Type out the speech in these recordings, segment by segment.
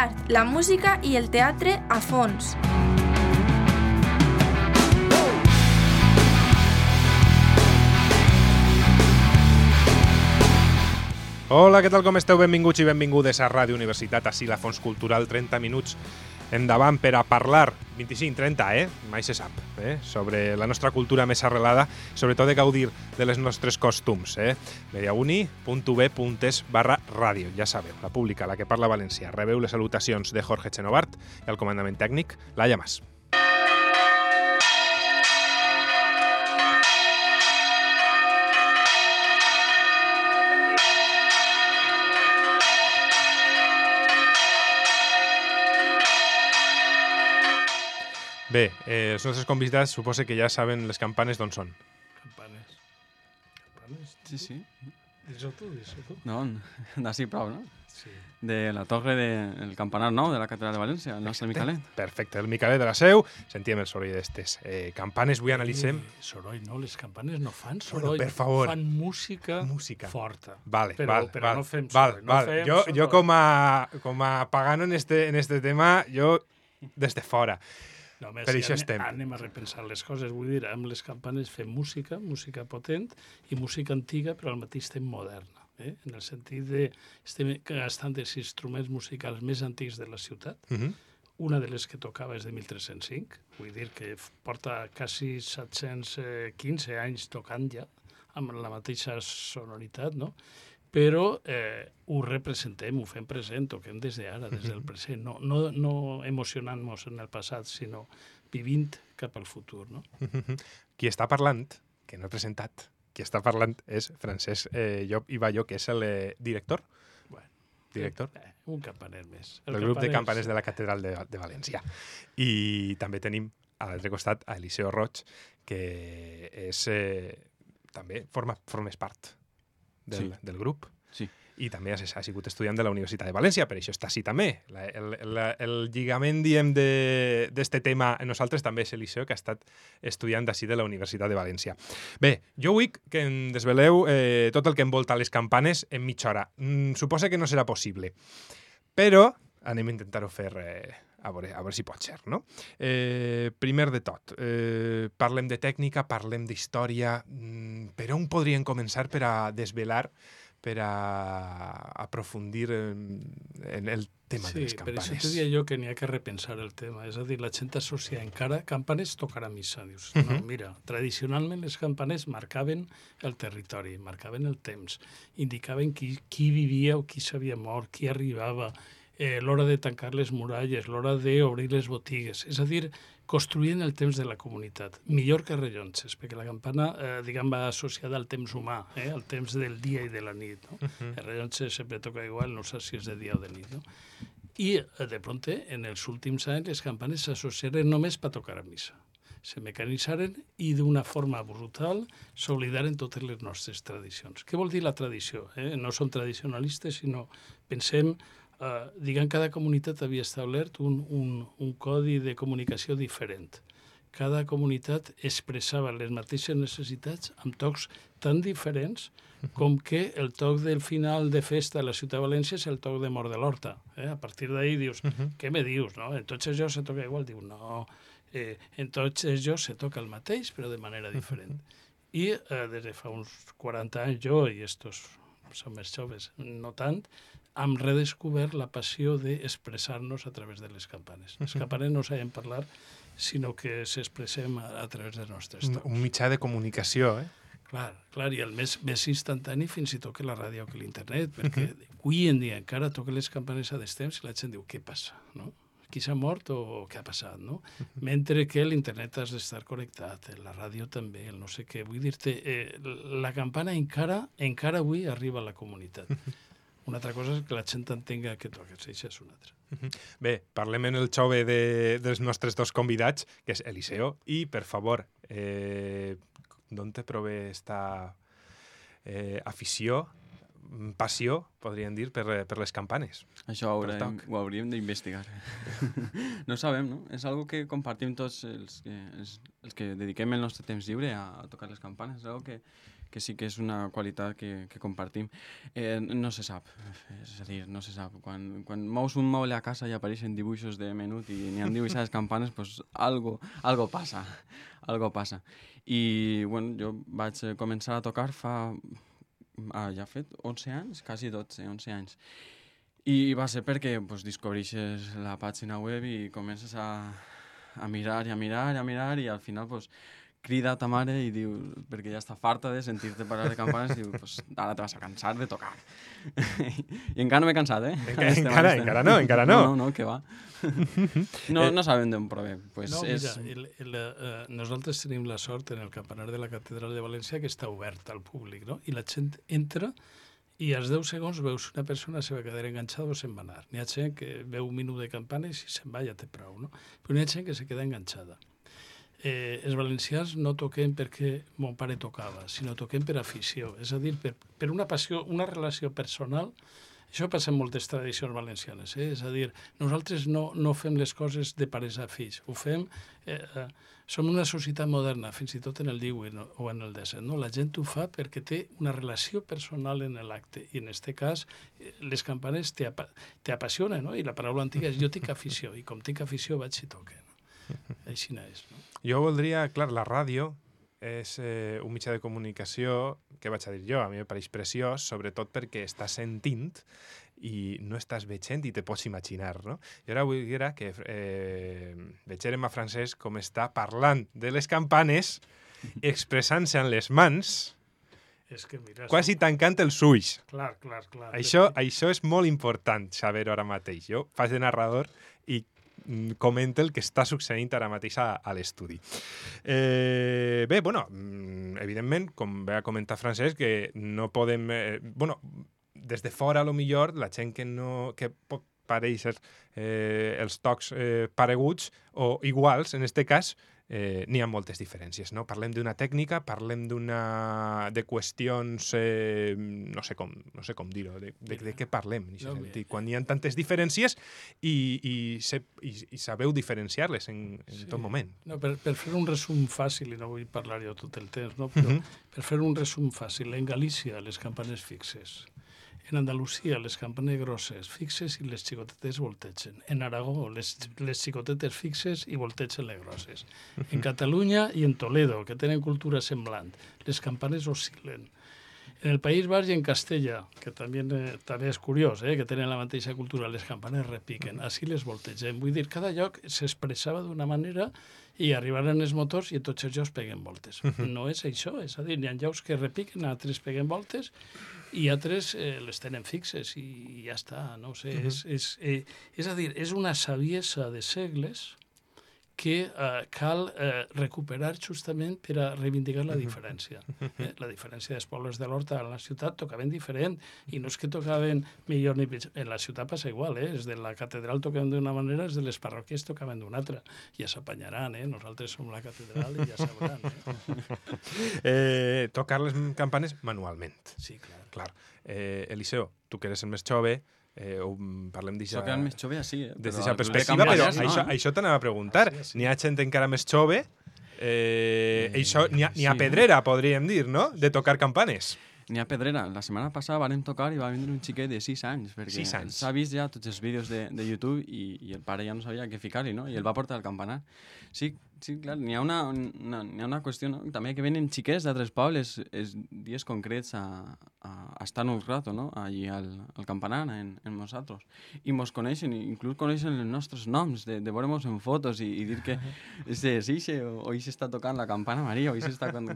l'art, la música i el teatre a fons. Hola, què tal, com esteu? Benvinguts i benvingudes a Ràdio Universitat, així la Fons Cultural, 30 minuts endavant per a parlar, 25-30, mai se sap, sobre la nostra cultura més arrelada, sobretot de gaudir de les nostres costums. mediauni.ub.es/ràdio, ja sabeu, la pública, la que parla valencià. Rebeu les salutacions de Jorge Chenovart i el comandament tècnic, Laia Mas. Bé, els nostres convidats suposo que ja saben les campanes d'on són. Campanes? Sí. Dis-ho tu. No, d'ací prou, no? Sí. De la torre del campanar nou de la catedral de València, el nostre Micalet. Perfecte, el Micalet de la Seu, sentíem el soroll d'estes campanes, avui analitzem... Soroll, no, les campanes no fan soroll, per favor. Fan música Forta. forta. Vale, però no fem soroll. Vale. Jo com a pagano en este tema, jo des de fora. No, per això estem. Anem a repensar les coses. Vull dir, amb les campanes fem música potent i música antiga, però al mateix temps moderna. En el sentit de estem gastant els instruments musicals més antics de la ciutat. Una de les que tocava és de 1305, vull dir que porta quasi 715 anys tocant ja, amb la mateixa sonoritat, no? Però ho representem, ho fem present, toquem des d'ara, des del present, no emocionant-nos en el passat, sinó vivint cap al futur, no? Qui està parlant, que no he presentat, qui està parlant és Francesc Llop i Balló, que és el director. Director. Un campaner més. El grup de campaners de la Catedral de València. I també tenim a l'altre costat a Eliseo Roig, que és també formes part del grup. Sí. I també ha sigut estudiant de la Universitat de València, per això està així també. El lligament, diem, d'este tema en nosaltres també és Eliseo, que ha estat estudiant d'ací de la Universitat de València. Bé, jo vull que em desveleu tot el que envolta les campanes en mitja hora. Suposa que no serà possible, però anem a intentar-ho fer a veure si pot ser, no? Primer de tot, parlem de tècnica, parlem d'història, per on podríem començar per a desvelar, per a aprofundir en el tema de les campanes? Sí, per això te deia jo que n'hi ha que repensar el tema. És a dir, la gent associa encara campanes tocar a missa. Dius, no, mira, tradicionalment les campanes marcaven el territori, marcaven el temps, indicaven qui vivia o qui s'havia mort, qui arribava, l'hora de tancar les muralles, l'hora d'obrir les botigues. És a dir, construint el temps de la comunitat. Millor que rellotges, perquè la campana, va associada al temps humà, al temps del dia i de la nit. No? El rellotge sempre toca igual, no sé si és de dia o de nit. No? I, de pronte, en els últims anys, les campanes s'associaren només per tocar a missa. Se mecanitzaren i d'una forma brutal s'oblidaren totes les nostres tradicions. Què vol dir la tradició? No som tradicionalistes, sinó pensem... cada comunitat havia establert un codi de comunicació diferent. Cada comunitat expressava les mateixes necessitats amb tocs tan diferents com que el toc del final de festa a la ciutat de València és el toc de Mort de l'Horta. A partir d'ahir dius, què me dius? No? En tots els llocs se toca igual. Diu, no, en tots els llocs se toca el mateix, però de manera diferent. I des de fa uns 40 anys jo, i estos som més joves, no tant, hem redescobert la passió d'expressar-nos a través de les campanes. Les campanes no sabem parlar, sinó que s'expressem a través dels nostres tocs. Un mitjà de comunicació, Clar, i el més instantani fins i tot que la ràdio que l'internet, perquè avui en dia encara toquen les campanes a destemps i la gent diu, què passa, no? Qui s'ha mort o què ha passat, no? Mentre que l'internet has d'estar connectat, la ràdio també, el no sé què. Vull dir-te, la campana encara avui arriba a la comunitat. Una altra cosa és que la gent entenga que toques, això és una altra. Bé, parlem en el xove dels nostres dos convidats, que és Eliseo, i, per favor, d'on te prové esta afició, passió, podríem dir, per les campanes? Això ho hauríem d'investigar. No sabem, no? És algo que compartim tots els que dediquem el nostre temps lliure a tocar les campanes. És algo que sí que és una qualitat que compartim. No se sap, és a dir, no se sap. Quan mous un moble a casa i apareixen dibuixos de menut i n'hi han dibuixades campanes, pues algo passa, algo passa. I, bueno, jo vaig començar a tocar fa... ja ha fet 11 anys, quasi 12, 11 anys. I va ser perquè pues, descobreixes la pàgina web i comences a mirar i a mirar i a mirar i al final pues, crida a ta mare i diu, perquè ja està farta de sentir-te parlar de campanes, i diu, pues, ara te vas a cansar de tocar. I encara no m'he cansat, eh? Encara no. No, que va. No sabem d'on prové. Pues no, mira, nosaltres tenim la sort en el campanar de la Catedral de València que està obert al públic, no? I la gent entra i als 10 segons veus una persona se va quedar enganxada o se'n va anar. N'hi ha gent que veu un minut de campanes i se'n va, ja té prou, no? Però n'hi ha gent que se queda enganxada. Els valencians no toquem perquè mon pare tocava, sinó toquem per afició, és a dir, per una passió, una relació personal. Això passa en moltes tradicions valencianes, és a dir, nosaltres no fem les coses de pares a fills, ho fem... Som una societat moderna, fins i tot en el 18 o en el 17. No? La gent ho fa perquè té una relació personal en l'acte. I en aquest cas, les campanes t'apassionen, no? I la paraula antiga és jo tinc afició, i com tinc afició vaig i toque. No? Així és. No? Jo voldria, clar, la ràdio és un mitjà de comunicació, què vaig a dir jo? A mi em pareix preciós, sobretot perquè estàs sentint i no estàs veient i te pots imaginar, no? I ara vull dir que veiem a Francesc com està parlant de les campanes, expressant-se en les mans, quasi tancant els ulls. Clar. Això és molt important saber-ho ara mateix. Jo faig de narrador i comenta el que està succeint ara mateix a l'estudi. Bé, bueno, evidentment, com va comentar Francesc, que no podem... des de fora, a lo millor, la gent que pot parèixer els tocs pareguts o iguals, en aquest cas, n'hi ha moltes diferències, no? Parlem d'una tècnica, parlem de qüestions, no sé com dir-ho, de què parlem, quan hi ha tantes diferències i sabeu diferenciar-les en tot moment. No, per fer un resum fàcil, i no vull parlar jo tot el temps, no? Però per fer un resum fàcil, en Galícia les campanes fixes, en Andalusia les campanes grosses fixes i les xicotetes voltegen. En Aragó les xicotetes fixes i voltegen les grosses. En Catalunya i en Toledo, que tenen cultura semblant, les campanes oscil·len. En el País Basc i en Castella, que també és curiós, que tenen la mateixa cultura, les campanes repiquen, així les voltegem. Vull dir, cada lloc s'expressava d'una manera i arribaren els motors i tots els llocs peguen voltes. No és això, és a dir, hi ha llocs que repiquen, altres peguen voltes i altres les tenen fixes i ja està, no sé. És a dir, és una saviesa de segles que cal recuperar justament per a reivindicar la diferència. La diferència dels pobles de l'Horta a la ciutat tocaven diferent, i no és que tocaven millor ni pitjor. En la ciutat passa igual, els de la catedral tocaven d'una manera, els de les parròquies tocaven d'una altra. Ja s'apanyaran, nosaltres som la catedral i ja sabran. Tocar les campanes manualment. Sí, clar. Eliseo, tu que eres el més jove, parlem d'això... Soc el més jove, sí. Des d'aquesta perspectiva, però això t'anava a preguntar. N'hi ha gent encara més jove, n'hi ha pedrera, podríem dir, no?, de tocar campanes. N'hi ha pedrera. La setmana passada vam tocar i va vindre un xiquet de 6 anys, perquè s'ha vist ja tots els vídeos de YouTube i el pare ja no sabia què ficar-hi, no? I el va portar al campanar. Sí, clar, n'hi ha una qüestió, no? També que venen xiquets d'altres pobles els dies concrets a estar un rato, no? Allí al campanar, en nosaltres. I mos coneixen, inclús coneixen els nostres noms, de veure-mos en fotos i dir que és Ixe, o Ixe està tocant la campana Maria, o Ixe està tocant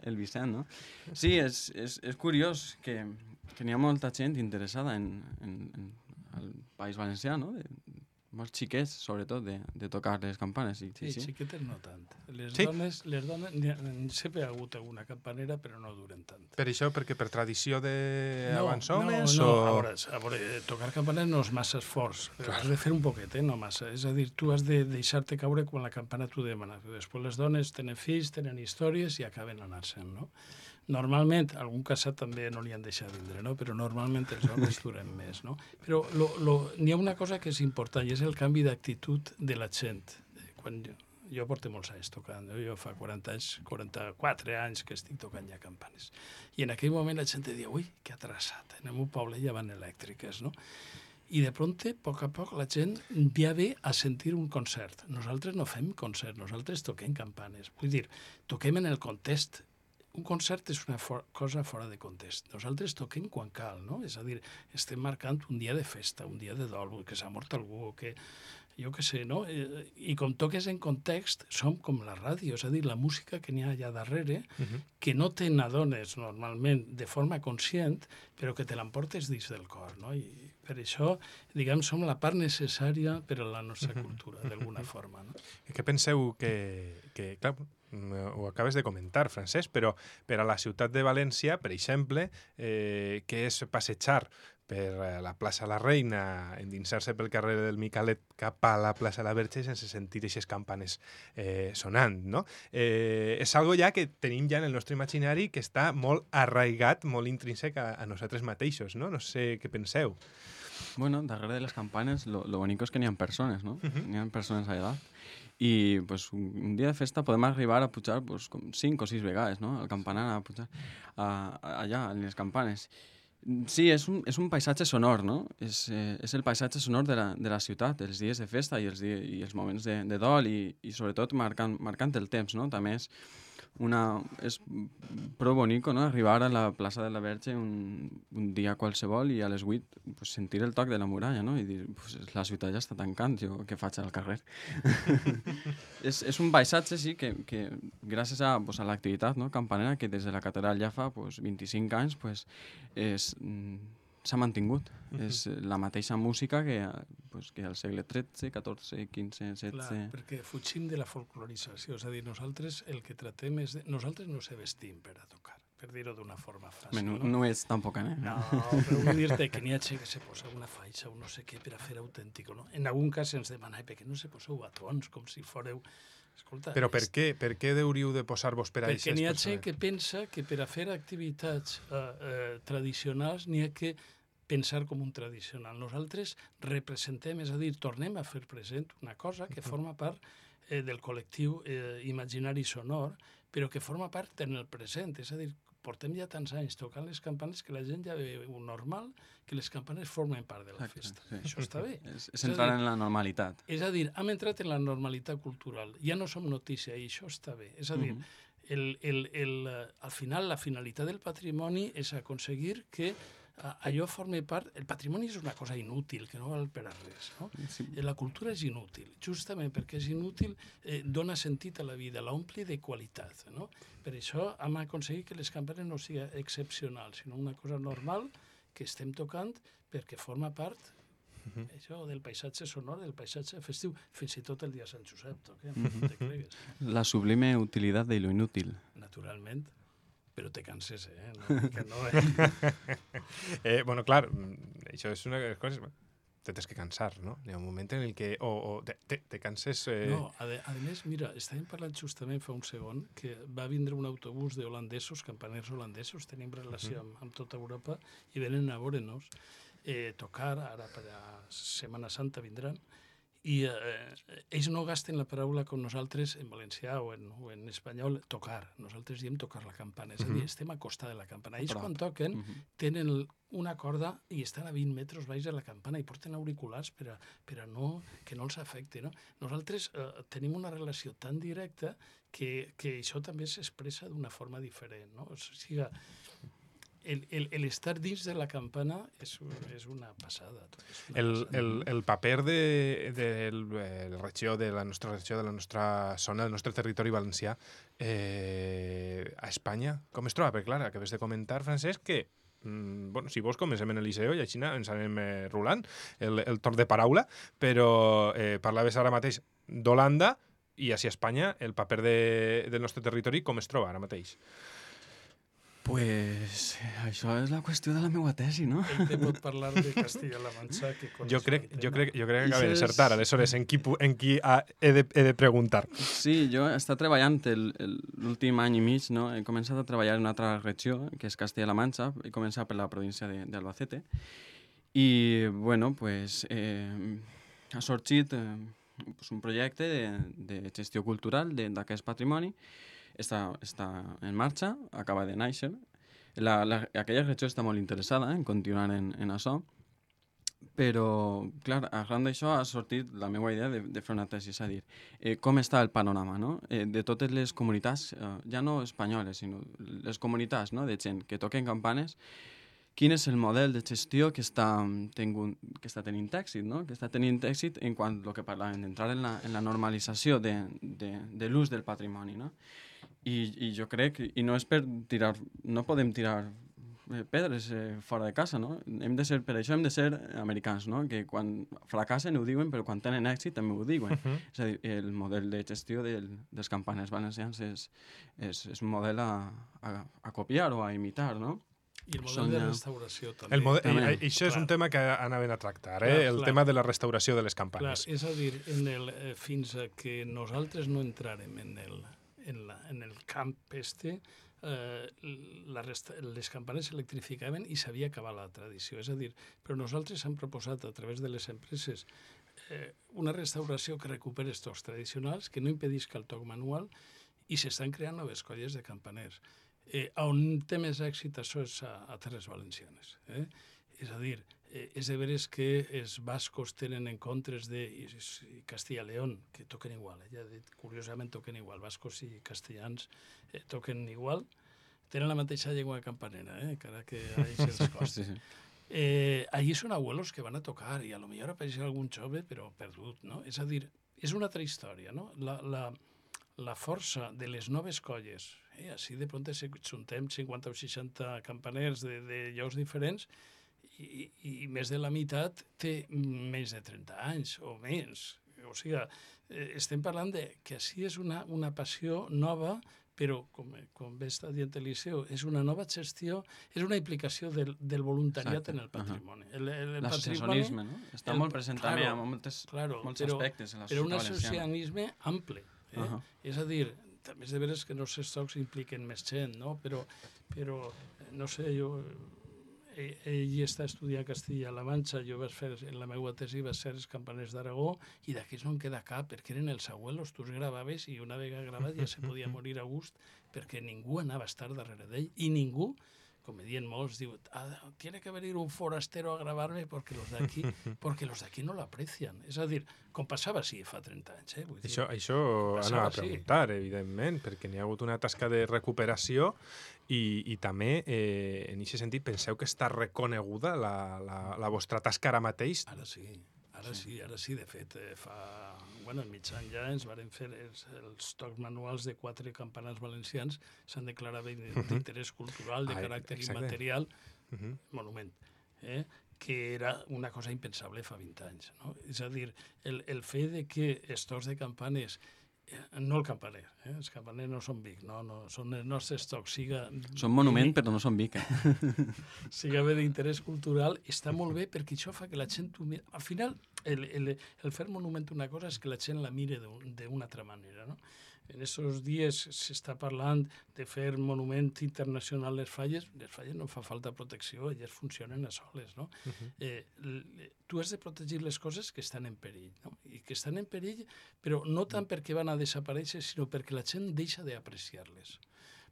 el Vicent, no? Sí, és curiós que n'hi ha molta gent interessada en el País Valencià, no? Molts xiquets, sobretot, de tocar les campanes. Sí, xiquetes no tant. Les dones, sempre ha hagut alguna campanera, però no duren tant. Per això, perquè per tradició d'abans homes? No, a veure, tocar campanes no és massa esforç. Has de fer un poquet, no massa. És a dir, tu has de deixar-te caure quan la campana t'ho demana. Després les dones tenen fills, tenen històries i acaben anar-se'n, no? Normalment, algun casat també no li han deixat vindre, no? Però normalment els homes duren més, no? Però n'hi ha una cosa que és important i és el canvi d'actitud de la gent. Quan Jo porto molts anys tocant, jo fa 40 anys, 44 anys que estic tocant ja campanes. I en aquell moment la gent deia, ui, que atrasat, en el meu poble ja van elèctriques, no? I de pronte, a poc la gent ja ve a sentir un concert. Nosaltres no fem concert, nosaltres toquem campanes. Vull dir, toquem en el context. Un concert és una cosa fora de context. Nosaltres toquem quan cal, no? És a dir, estem marcant un dia de festa, un dia de dol, que s'ha mort algú, que jo què sé, no? I com toques en context, som com la ràdio, és a dir, la música que n'hi ha allà darrere, que no te n'adones normalment de forma conscient, però que te l'emportes dins del cor, no? I per això, diguem, som la part necessària per a la nostra cultura, d'alguna forma, no? Què penseu que clar, ho acabes de comentar, Francesc, però per a la ciutat de València, per exemple, que és passejar per la plaça La Reina, endinsar-se pel carrer del Micalet cap a la plaça La Verge sense sentir aquestes campanes sonant, no? És algo ja que tenim ja en el nostre imaginari que està molt arraigat, molt intrínsec a nosaltres mateixos, no? No sé què penseu. Bueno, darrere de les campanes, lo bonico és que n'hi ha persones, no? N'hi ha persones allà. I pues, un dia de festa podem arribar a pujar pues, com 5 o 6 vegades, no? Al campanar, a pujar allà, en les campanes. Sí, és un paisatge sonor, no? És el paisatge sonor de la ciutat, els dies de festa i els moments de dol i sobretot marcant el temps, no? També és prou bonico, no? Arribar a la plaça de la Verge un dia qualsevol i a les 8 pues, sentir el toc de la muralla, no? I dir, pues, la ciutat ja està tancant, jo què faig al carrer? És un paisatge, sí, que gràcies a l'activitat, no? Campanera, que des de la catedral ja fa 25 anys, pues, s'ha mantingut. És la mateixa música que al segle XIII, XIV, XV, XVI... Clar, perquè fugim de la folclorització. És a dir, nosaltres el que tratem és... Nosaltres no se vestim per a tocar, per dir-ho d'una forma fàcil. No és tampoc, eh? No, però vull dir-te que n'hi ha gent que se posa una faixa o no sé què per a fer autèntic, no? En algun cas ens demana, per què no se poseu batons, com si fóreu... Escolta, però per què hauríeu de posar-vos per a aquestes persones? Perquè n'hi ha gent que pensa que per a fer activitats tradicionals n'hi ha que pensar com un tradicional. Nosaltres representem, és a dir, tornem a fer present una cosa que forma part del col·lectiu imaginari sonor, però que forma part en el present. És a dir, portem ja tants anys tocant les campanes que la gent ja veu normal que les campanes formen part de la festa. Sí. Això està bé. És entrar en la normalitat. És a dir, hem entrat en la normalitat cultural. Ja no som notícia i això està bé. És a dir, al final, la finalitat del patrimoni és aconseguir que allò forma part... El patrimoni és una cosa inútil, que no val per a res, no? Sí. La cultura és inútil. Justament perquè és inútil, dona sentit a la vida, l'ompli de qualitat, no? Per això hem aconseguit que les campanes no sigui excepcional, sinó una cosa normal que estem tocant perquè forma part això del paisatge sonor, del paisatge festiu, fins i tot el dia de Sant Josep, toquem, no te cregues. La sublime utilitat de lo inútil. Naturalment. Però te canses, no, que no, bueno, clar, això és una de les coses... Te tens que cansar, no? Hi ha un moment en el que te canses... No, a més, mira, estàvem parlant justament fa un segon que va vindre un autobús d'holandesos, campaners holandesos, tenim relació amb tota Europa, i venen a veure'ns tocar, ara per a Setmana Santa vindran, i ells no gasten la paraula com nosaltres en valencià o en espanyol, tocar. Nosaltres diem tocar la campana, és a dir, estem a costa de la campana. Ells quan toquen tenen una corda i estan a 20 metres baix de la campana i porten auriculars per a que no els afecti, no? Nosaltres tenim una relació tan directa que això també s'expressa d'una forma diferent, no? O sigui, l'estar dins de la campana és una passada. El paper de la regió, de la nostra regió, de la nostra zona, del nostre territori valencià a Espanya, com es troba? Perquè, clar, acabes de comentar, Francesc, que bueno, si vols comencem en el Liceu i així ens anem rulant el torn de paraula, però parlaves ara mateix d'Holanda i així a Espanya el paper del nostre territori com es troba ara mateix? Pues això és la qüestió de la meva tesi, no? Ell te pot parlar de Castilla-La Manxa, que jo crec que acabé d'encertar, aleshores, en qui he de preguntar. Sí, jo he estat treballant l'últim any i mig, no? He començat a treballar en una altra regió, que és Castilla-La Manxa, he començat per la província d'Albacete, i, bueno, pues, ha sorgit un projecte de gestió cultural d'aquest patrimoni. Està en marxa, acaba de néixer. Aquella regió està molt interessada en continuar en això, però, clar, arran d'això ha sortit la meva idea de fer una tesi, és a dir, com està el panorama, no? De totes les comunitats, ja no espanyoles, sinó les comunitats, no?, de gent que toquen campanes, quin és el model de gestió que està tenint èxit, no? Que està tenint èxit en quant al que parlàvem, d'entrar en la normalització de l'ús del patrimoni, no? I jo crec, i no és per tirar, no podem tirar pedres fora de casa, no? Per això hem de ser americans, no? Que quan fracassen ho diuen, però quan tenen èxit també ho diuen. És a dir, el model de gestió dels campaners valencians és un model a copiar o a imitar, no? I el model de restauració també. Això és un tema que anaven a tractar, el tema de la restauració de les campanes. Clar, és a dir, fins que nosaltres no entrarem en el camp les campanes s'electrificaven i s'havia acabat la tradició. És a dir, però nosaltres hem proposat a través de les empreses una restauració que recuperi els tocs tradicionals, que no impedisca el toc manual, i s'estan creant noves colles de campaners. On té més èxit això és a Terres Valencianes. És a dir, és de veres que els bascos tenen en contres de Castilla y León, que toquen igual, ja he dit, curiosament toquen igual, bascos i castellans toquen igual, tenen la mateixa llengua campanera, encara que ahí se les costa. Allí són abuelos que van a tocar i a lo millor apareix algun jove però perdut, no? És a dir, és una altra història, no? La força de les noves colles, així de pront juntem 50 o 60 campaners de llocs diferents, i més de la meitat té més de 30 anys o més. O sigui, estem parlant que així és una passió nova, però, com bé està dient Eliseu, és una nova gestió, és una implicació del voluntariat en el patrimoni. L'associacionisme, no? Està molt present també en molts aspectes. Però un associacionisme ample. És a dir, també és de veres que no els estocs impliquen més gent, no? Però no sé, ell està estudiant Castilla-La Manxa, jo vaig fer, en la meva tesi vaig ser els campaners d'Aragó, i d'aquí no en queda cap, perquè eren els abuelos, tu els gravaves i una vegada gravat ja se podia morir a gust, perquè ningú anava a estar darrere d'ell, i ningú, com me diuen molts, diu, tiene que venir un forastero a gravar-me perquè los d'aquí no l'aprecien. És a dir, com passava així fa 30 anys. Això anava a preguntar, evidentment, perquè n'hi ha hagut una tasca de recuperació i també, en aquest sentit, penseu que està reconeguda la vostra tasca ara mateix? Ara sí, de fet, al mig any ja ens varen fer els tocs manuals de 4 campanars valencians, s'han declarat d'interès cultural, de caràcter immaterial, monument, que era una cosa impensable fa 20 anys. És a dir, el fet de que els tocs de campanes, no el campaner, els campaners no són Vic, no, són els nostres tocs, són monument però no són Vic. Siga bé d'interès cultural, està molt bé perquè això fa que la gent ho miri. Al final, el fer monument una cosa és que la gent la mire d'una altra manera, no? En aquests dies s'està parlant de fer monument internacional les falles no fa falta protecció, elles funcionen a soles, no? Tu has de protegir les coses que estan en perill, no? I que estan en perill, però no tant perquè van a desaparèixer, sinó perquè la gent deixa d'apreciar-les.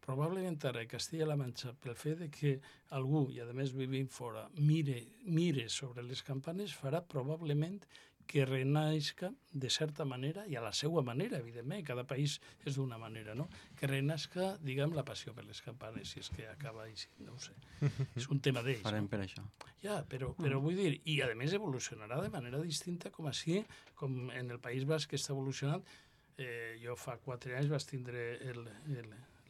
Probablement ara a Castilla-La Manxa, pel fet que algú, i a més vivint fora, mire sobre les campanes, farà probablement que renaixca de certa manera, i a la seva manera, evidentment, cada país és d'una manera, no? Que renaixca, diguem, la passió per les campanes, si és que acaba així, no ho sé. És un tema d'ells. Farem per això. Ja, però vull dir, i a més evolucionarà de manera distinta com així, com en el País Basc que està evolucionant. Jo fa 4 anys vaig tindre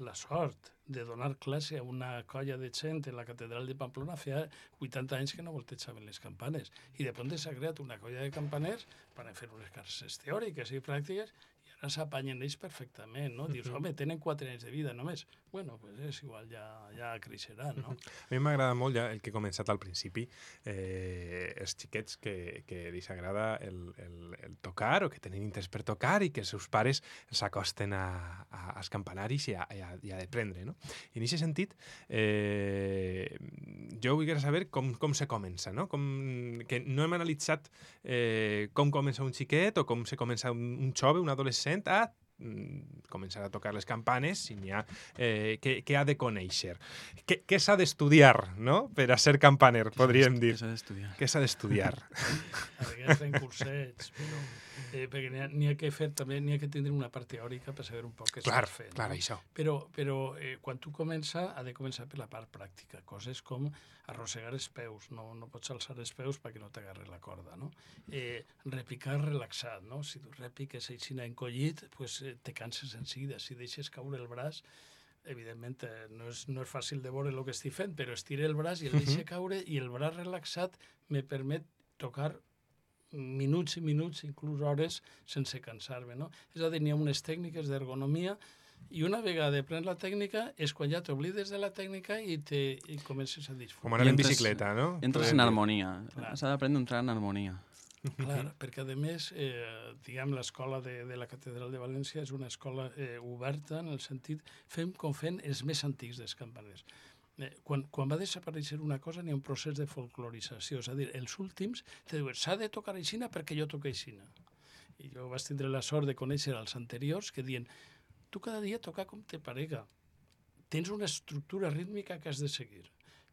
la sort de donar classe a una colla de gent en la catedral de Pamplona. Feia 80 anys que no voltejaven les campanes i de pront s'ha creat una colla de campaners per fer unes classes teòriques i pràctiques i ara s'apanyen ells perfectament, no? Dius, home, tenen 4 anys de vida només. Bueno, pues és igual, ja creixeran, no? A mi m'agrada molt ja el que he començat al principi, els xiquets que els agrada el tocar o que tenen interès per tocar i que els seus pares s'acosten als campanaris i a d'aprendre, no? I en aquest sentit, jo vull saber com se comença, no? Que no hem analitzat com comença un xiquet o com se comença un jove, un adolescent, a començar a tocar les campanes, si n'hi ha, què ha de conèixer. Què s'ha d'estudiar, no?, per a ser campaner, podríem dir. Què s'ha d'estudiar? A vegades fem cursets, però perquè n'hi ha que fer també, n'hi ha que tindre una part teòrica per saber un poc què s'ha de fer. Clar, això. Però quan tu comença, ha de començar per la part pràctica, coses com arrossegar els peus, no pots alçar els peus perquè no t'agarre la corda, no? Repicar relaxat, no? Si tu repiques així encollit, pues, te canses en seguida. Si deixes caure el braç, evidentment no és fàcil de veure el que estic fent, però estire el braç i el deixe caure, i el braç relaxat me permet tocar minuts i minuts, inclús hores, sense cansar-me, no? És a dir, n'hi ha unes tècniques d'ergonomia, i una vegada aprens la tècnica és quan ja t'oblides de la tècnica i comences a disfrutar. Com anar en bicicleta, no? Entres en harmonia. S'ha d'aprendre a entrar en harmonia. Clar, perquè a més, diguem, l'escola de la Catedral de València és una escola oberta en el sentit, fem com fent els més antics dels campaners. Quan va desaparèixer una cosa n'hi ha un procés de folclorització, és a dir, els últims te diuen s'ha de tocar aixina perquè jo toco aixina. I jo vaig tindre la sort de conèixer els anteriors que diuen tu cada dia toca com te parega, tens una estructura rítmica que has de seguir,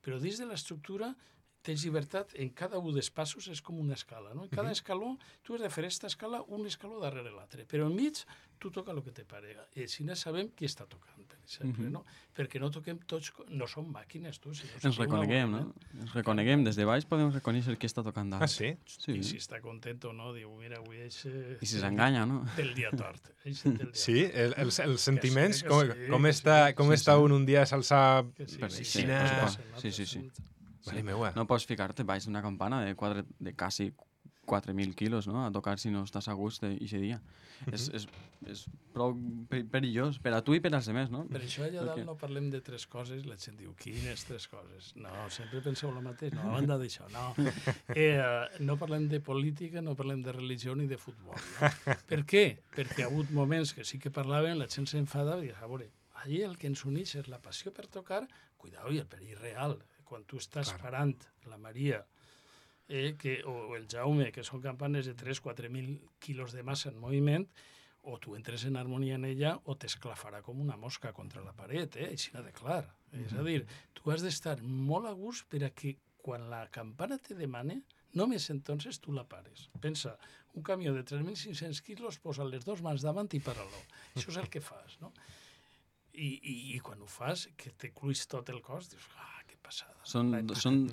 però dins de l'estructura tens llibertat, en cada un dels passos és com una escala, no? En cada escaló tu has de fer aquesta escala un escaló darrere l'altre, però enmig tu toca el que te parega. I així no sabem qui està tocant, per exemple, no? Perquè no toquem tots, no som màquines, tu. Ens reconeguem, no? Ens reconeguem, des de baix podem reconèixer qui està tocant dalt. Ah, sí? I si està content o no, diu, mira, avui és... I si s'enganya, no? Del dia tort. Sí, els sentiments, com està un dia s'alça... Sí. No pots ficar-te baix d'una campana de quasi 4.000 quilos, no?, a tocar si no estàs a gust d'aquest dia. És prou perillós per a tu i per als altres, no? Per això allà dalt no parlem de tres coses, la gent diu, quines tres coses? No, sempre penseu el mateix, no, a banda d'això, no. No parlem de política, no parlem de religió ni de futbol, no? Per què? Perquè ha hagut moments que sí que parlaven, la gent s'enfada i diu, a veure, allí el que ens uneix és la passió per tocar, cuidao, i el perill real, quan tu estàs parant la Maria o el Jaume, que són campanes de 3-4.000 quilos de massa en moviment, o tu entres en harmonia en ella o t'esclafarà com una mosca contra la paret, així de clar. És a dir, tu has d'estar molt a gust per a que quan la campana te demane, només entonces tu la pares. Pensa, un camió de 3.500 quilos posa les dues mans davant i para-lo. Això és el que fas, no? I quan ho fas, que te cluís tot el cos, dius, que passada. Són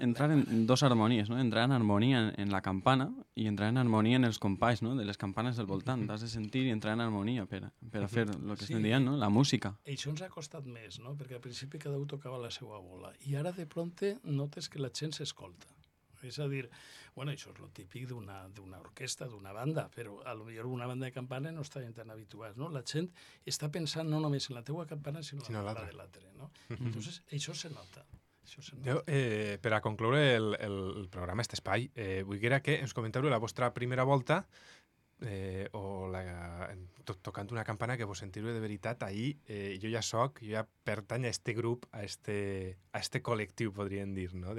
entrar en dos harmonies, no? Entrar en harmonia en la campana i entrar en harmonia en els companys, no?, de les campanes del voltant. T'has de sentir i entrar en harmonia per a fer el que estem dient, no?, la música. I això ens ha costat més, no?, perquè al principi cada un tocava la seva bola. I ara de prompte notes que la gent s'escolta. És a dir, bueno, això és el típic d'una orquestra, d'una banda, però potser una banda de campana no estaven tan habituats, no? La gent està pensant no només en la teua campana, sinó en la de l'altre, no? Entonces, això se nota. Jo, per a concloure el programa, aquest espai, vull que ens comenteu la vostra primera volta tocant una campana que vos sentiu de veritat. Ahir jo ja pertany a este grup, a este col·lectiu, podríem dir, no?,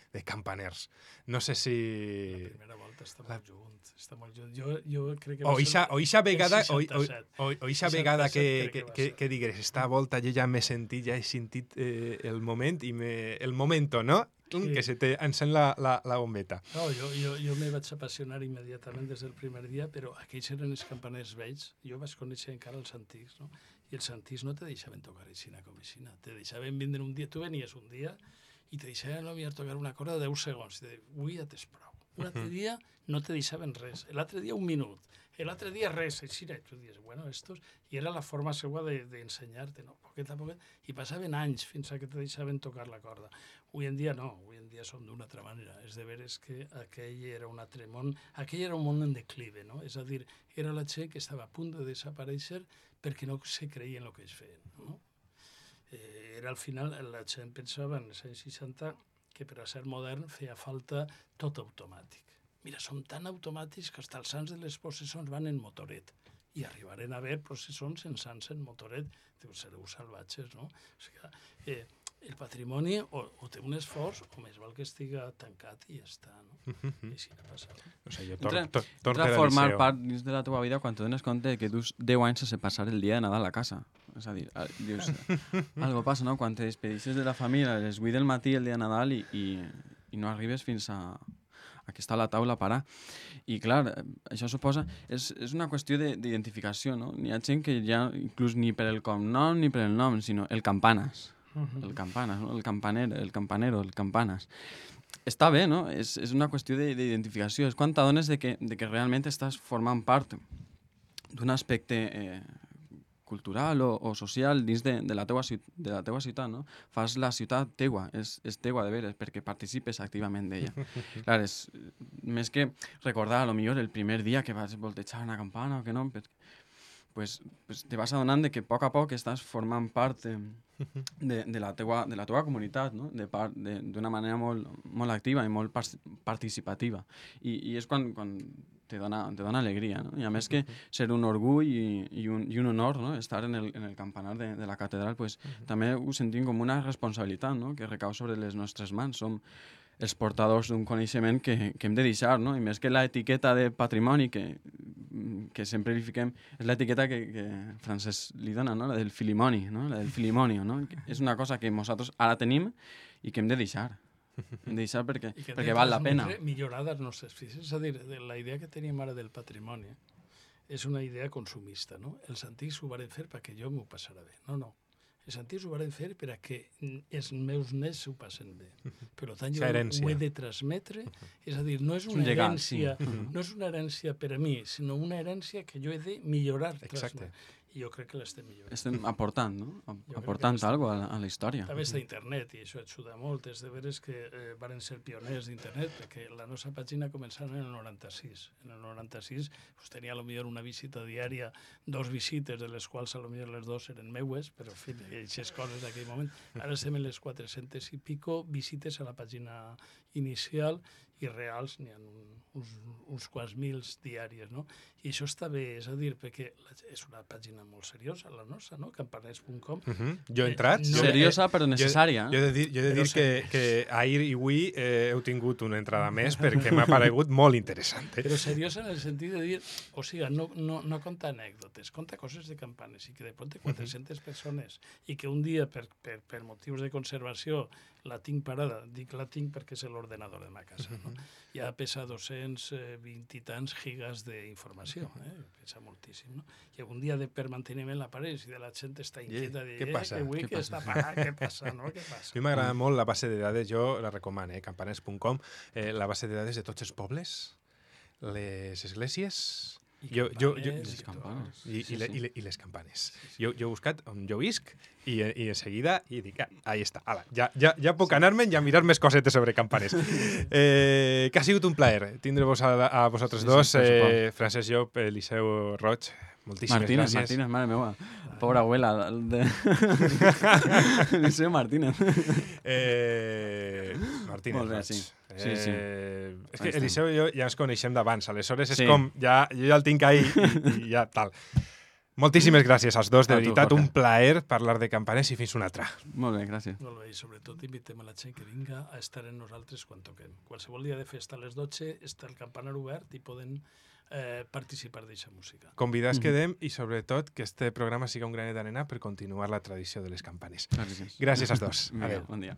de campaners. No sé si... La primera volta està molt junt. Jo crec que... O ixa vegada que digues, esta volta jo ja m'he sentit, ja he sentit el moment i el momento, no? Que se te encén la bombeta. No, jo me vaig apassionar immediatament des del primer dia, però aquells eren els campaners vells. Jo vaig conèixer encara els antics, no? I els antics no te deixaven tocar aixina com aixina. Te deixaven vindre un dia, tu venies un dia i te deixaven tocar una corda de 10 segons. I te diuen, avui ja t'és prou. Un altre dia no te deixaven res. L'altre dia un minut. L'altre dia res. Així, i tu dius, bueno, estos... I era la forma seva d'ensenyar-te, no? Poquet a poquet. I passaven anys fins a que te deixaven tocar la corda. Avui en dia no. Avui en dia som d'una altra manera. És de veres que aquell era un altre món. Aquell era un món en declive, no? És a dir, era la gent que estava a punt de desaparèixer perquè no se creia en el que es feien, no? Era al final, la gent pensava en els anys 60 que per a ser modern feia falta tot automàtic. Mira, som tan automàtics que fins als sants de les processons van en motoret i arribaren a haver processons sense sants en motoret. Diu, sereu salvatges, no? O sigui, el patrimoni o té un esforç o més val que estiga tancat i ja està, no? I així no passa. O sigui, Entra a formar part dins de la teva vida quan te dones compte que dus 10 anys sense passar el dia de Nadal a casa. És a dir, dius, algo passa, no? Quan te despedixes de la família a les 8 del matí el dia de Nadal i no arribes fins a que està a la taula a parar. I clar, això suposa... És una qüestió d'identificació, no? N'hi ha gent que ja, inclús ni per el cognom ni per el nom, sinó el campanes. El campanes, no? El campanero, el campanes. Està bé, no? És una qüestió d'identificació. És quan t'adones de que realment estàs formant part d'un aspecte cultural o social dins de la teua ciutat, no? Fas la ciutat teua, és teua de veres, perquè participes activament d'ella. Clar, és més que recordar, potser el primer dia que vas voltejar una campana o que no, pues te vas adonant de que a poc estàs formant part de la teua comunitat, no? D'una manera molt activa i molt participativa. I és quan te dona alegria, no? I a més que ser un orgull i un honor, no? Estar en el campanar de la catedral, pues, també ho sentim com una responsabilitat, no? Que recau sobre les nostres mans. Som els portadors d'un coneixement que hem de deixar, no? I més que l'etiqueta de patrimoni que sempre li fiquem, és l'etiqueta que Francesc li dona, no? La del filimoni, no? La del filimonio, no? És una cosa que nosaltres ara tenim i que hem de deixar. Hem de deixar perquè val la pena. Millorar els nostres fills. És a dir, la idea que tenim ara del patrimoni és una idea consumista, no? Els antics ho van fer perquè jo m'ho passarà bé. No. Els antics ho van fer perquè els meus nets s'ho passen bé. Per tant, jo ho he de transmetre. És a dir, no és una herència per a mi, sinó una herència que jo he de millorar. Exacte. I jo crec que l'estem millorant. Estem aportant, no? Aportant alguna cosa a la història. També està internet, i això ajuda molt. És de veres que van ser pioners d'internet, perquè la nostra pàgina començava en el 96. En el 96 tenia potser una visita diària, 2 visites, de les quals potser les 2 eren meues, però en fi, aquestes coses d'aquell moment. Ara estem en les 400 i pico visites a la pàgina inicial i reals n'hi ha uns quants mils diàries, no? I això està bé, és a dir, perquè és una pàgina molt seriosa, la nostra, no? Campaners.com. Jo he entrat... Seriosa, però necessària. Jo he de dir que ahir i avui heu tingut una entrada més perquè m'ha paregut molt interessant. Però seriosa en el sentit de dir, o sigui, no conta anècdotes, conta coses de campanes, i que de pronto 400 persones, i que un dia, per motius de conservació, la tinc parada. Dic la tinc perquè és l'ordenador de ma casa, no? Ja pesa 220 i tants gigas d'informació, pesa moltíssim, no? I algun dia per manteniment l'apareix i de la gent està inquieta de què passa? Que està parat, què passa, no? Què passa? A mi m'agrada molt la base de dades, jo la recomano, campaners.com, la base de dades de tots els pobles, les esglésies... I les campanes. I les campanes. Jo he buscat on jo visc i en seguida i dic, ahí està, ala, ja puc anar-me'n i a mirar més cosetes sobre campanes. Que ha sigut un plaer tindre-vos a vosaltres dos, Francesc Llop, Eliseu Roig. Moltíssimes gràcies. Martínez, mare meva. Pobra abuela. Eliseu Martínez. Martínez. Molt bé, sí. Sí. És que Eliseu i jo ja ens coneixem d'abans, aleshores és com, jo ja el tinc ahí i ja tal. Moltíssimes gràcies als dos, de veritat, un plaer parlar de campanes i fins una altra. Molt bé, gràcies. Molt bé, i sobretot invitem a la gent que vinga a estar amb nosaltres quan toquem. Qualsevol dia de festa a les 12 està el campanar obert i poden participar d'aquesta música. Convidats quedem i sobretot que este programa siga un granet d'arena per continuar la tradició de les campanes. Gràcies. Gràcies als dos. Adéu. Bon dia.